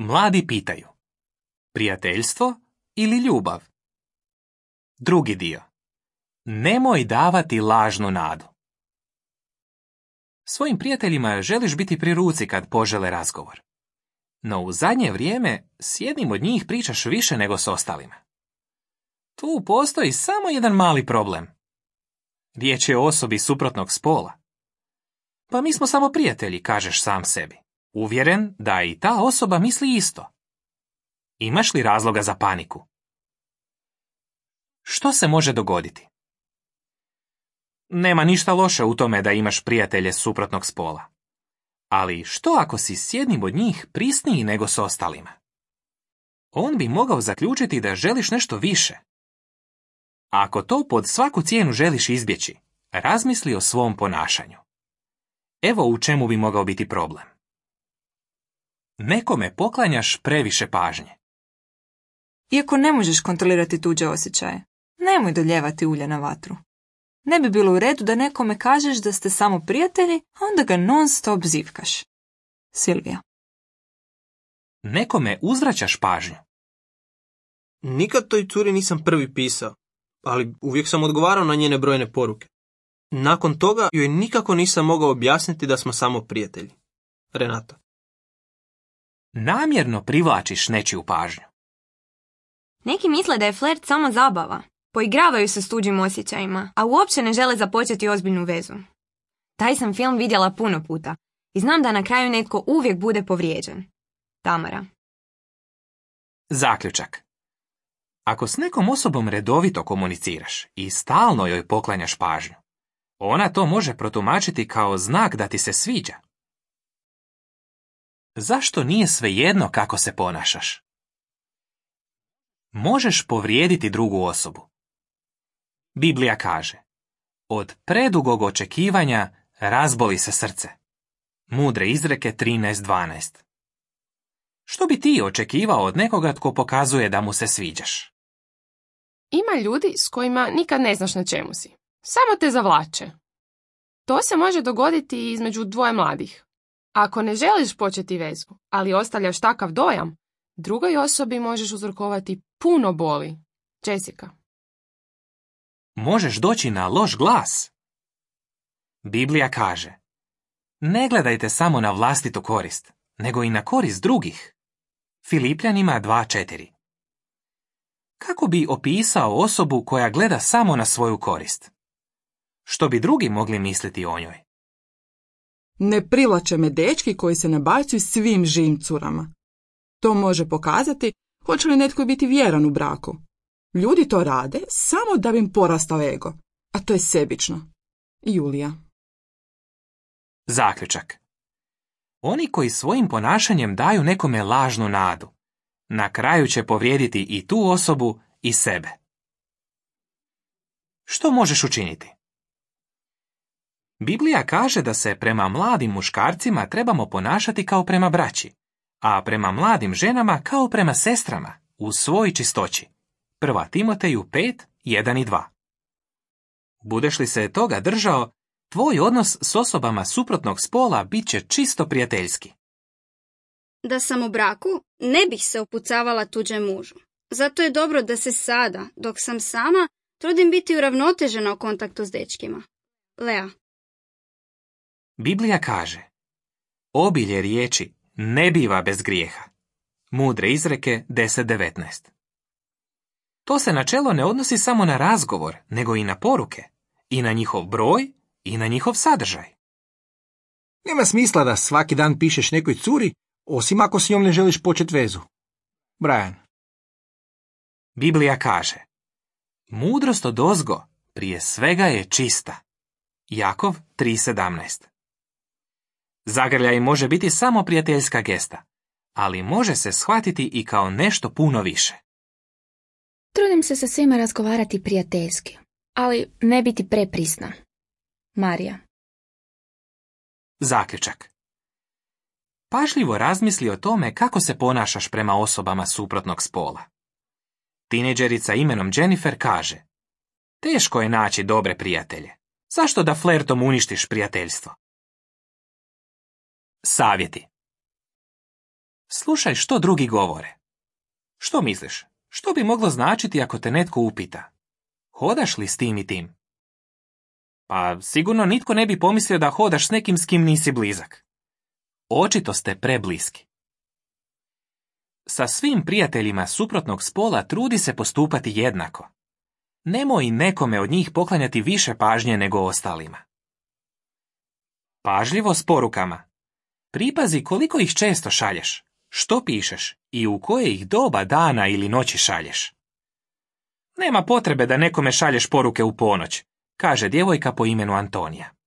Mladi pitaju: prijateljstvo ili ljubav? Drugi dio. Nemoj davati lažnu nadu. Svojim prijateljima želiš biti pri ruci kad požele razgovor. No u zadnje vrijeme s jednim od njih pričaš više nego s ostalima. Tu postoji samo jedan mali problem. Riječ je o osobi suprotnog spola. Pa mi smo samo prijatelji, kažeš sam sebi, uvjeren da i ta osoba misli isto. Imaš li razloga za paniku? Što se može dogoditi? Nema ništa loše u tome da imaš prijatelje suprotnog spola. Ali što ako si s jednim od njih prisniji nego s ostalima? On bi mogao zaključiti da želiš nešto više. Ako to pod svaku cijenu želiš izbjeći, razmisli o svom ponašanju. Evo u čemu bi mogao biti problem. Nekome poklanjaš previše pažnje. Iako ne možeš kontrolirati tuđe osjećaje, nemoj doljevati ulje na vatru. Ne bi bilo u redu da nekome kažeš da ste samo prijatelji, a onda ga non stop zivkaš. Silvija. Nekome uzvraćaš pažnju. Nikad toj curi nisam prvi pisao, ali uvijek sam odgovarao na njene brojne poruke. Nakon toga joj nikako nisam mogao objasniti da smo samo prijatelji. Renata. Namjerno privlačiš nečiju pažnju. Neki misle da je flert samo zabava. Poigravaju se s tuđim osjećajima, a uopće ne žele započeti ozbiljnu vezu. Taj sam film vidjela puno puta i znam da na kraju netko uvijek bude povrijeđen. Tamara. Zaključak. Ako s nekom osobom redovito komuniciraš i stalno joj poklanjaš pažnju, ona to može protumačiti kao znak da ti se sviđa. Zašto nije svejedno kako se ponašaš? Možeš povrijediti drugu osobu. Biblija kaže: od predugog očekivanja razboli se srce. Mudre izreke 13:12. Što bi ti očekivao od nekoga tko pokazuje da mu se sviđaš? Ima ljudi s kojima nikad ne znaš na čemu si. Samo te zavlače. To se može dogoditi i između dvoje mladih. Ako ne želiš početi vezu, ali ostavljaš takav dojam, drugoj osobi možeš uzrokovati puno boli. Jessica. Možeš doći na loš glas. Biblija kaže: ne gledajte samo na vlastitu korist, nego i na korist drugih. Filipljanima 2:4. Kako bi opisao osobu koja gleda samo na svoju korist? Što bi drugi mogli misliti o njoj? Ne privlače me dečki koji se nabacuju svim živim curama. To može pokazati hoće li netko biti vjeran u braku. Ljudi to rade samo da bi im porastao ego, a to je sebično. Julija. Zaključak. Oni koji svojim ponašanjem daju nekome lažnu nadu, na kraju će povrijediti i tu osobu i sebe. Što možeš učiniti? Biblija kaže da se prema mladim muškarcima trebamo ponašati kao prema braći, a prema mladim ženama kao prema sestrama, u svoj čistoći. 1. Timoteju 5:1 i 2. Budeš li se toga držao, tvoj odnos s osobama suprotnog spola bit će čisto prijateljski. Da sam u braku, ne bih se upucavala tuđem mužu. Zato je dobro da se sada, dok sam sama, trudim biti uravnotežena u kontaktu s dečkima. Lea. Biblija kaže: obilje riječi ne biva bez grijeha. Mudre izreke 10:19. To se načelo ne odnosi samo na razgovor, nego i na poruke, i na njihov broj, i na njihov sadržaj. Nema smisla da svaki dan pišeš nekoj curi, osim ako s njom ne želiš početi vezu. Brian. Biblija kaže: mudrost odozgo prije svega je čista. Jakov 3:17. Zagrljaj može biti samo prijateljska gesta, ali može se shvatiti i kao nešto puno više. Trudim se sa svima razgovarati prijateljski, ali ne biti preprisna. Marija. Zaključak. Pažljivo razmisli o tome kako se ponašaš prema osobama suprotnog spola. Tinejdžerica imenom Jennifer kaže: teško je naći dobre prijatelje. Zašto da flertom uništiš prijateljstvo? Savjeti. Slušaj što drugi govore. Što misliš? Što bi moglo značiti ako te netko upita? Hodaš li s tim i tim? Pa sigurno nitko ne bi pomislio da hodaš s nekim s kim nisi blizak. Očito ste prebliski. Sa svim prijateljima suprotnog spola trudi se postupati jednako. Nemoj nekome od njih poklanjati više pažnje nego ostalima. Pažljivo s porukama. Pripazi koliko ih često šalješ, što pišeš i u koje ih doba dana ili noći šalješ. Nema potrebe da nekome šalješ poruke u ponoć, kaže djevojka po imenu Antonija.